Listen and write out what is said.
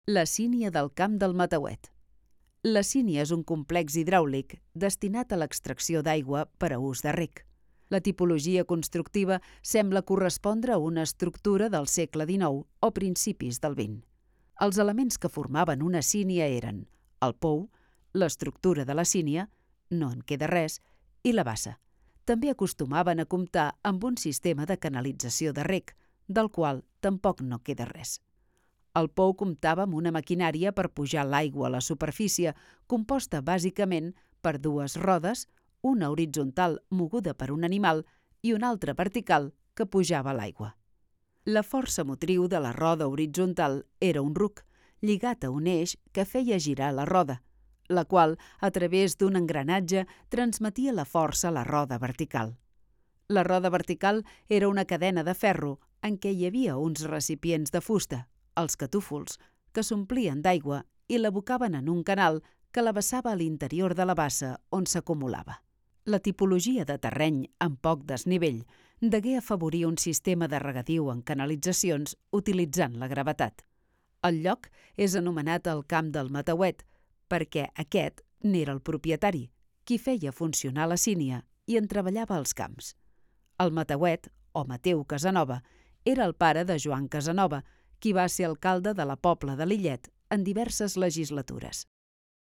La sínia del camp del Matauet. La sínia és un complex hidràulic destinat a l'extracció d'aigua per a ús de reg. La tipologia constructiva sembla correspondre a una estructura del segle XIX o principis del XX. Els elements que formaven una sínia eren el pou, l'estructura de la sínia, no en queda res, i la bassa. També acostumaven a comptar amb un sistema de canalització de reg, del qual tampoc no queda res. El pou comptava amb una maquinària per pujar l'aigua a la superfície, composta bàsicament per dues rodes, una horitzontal moguda per un animal i una altra vertical que pujava l'aigua. La força motriu de la roda horitzontal era un ruc, lligat a un eix que feia girar la roda, la qual, a través d'un engranatge, transmetia la força a la roda vertical. La roda vertical era una cadena de ferro en què hi havia uns recipients de fusta, els catúfols, que s'omplien d'aigua i l'abocaven en un canal que la vessava a l'interior de la bassa on s'acumulava. La tipologia de terreny amb poc desnivell degué afavorir un sistema de regadiu en canalitzacions utilitzant la gravetat. El lloc és anomenat el Camp del Matauet perquè aquest n'era el propietari, qui feia funcionar la sínia i en treballava als camps. El Matauet, o Mateu Casanova, era el pare de Joan Casanova, qui va ser alcalde de la Pobla de Lillet en diverses legislatures.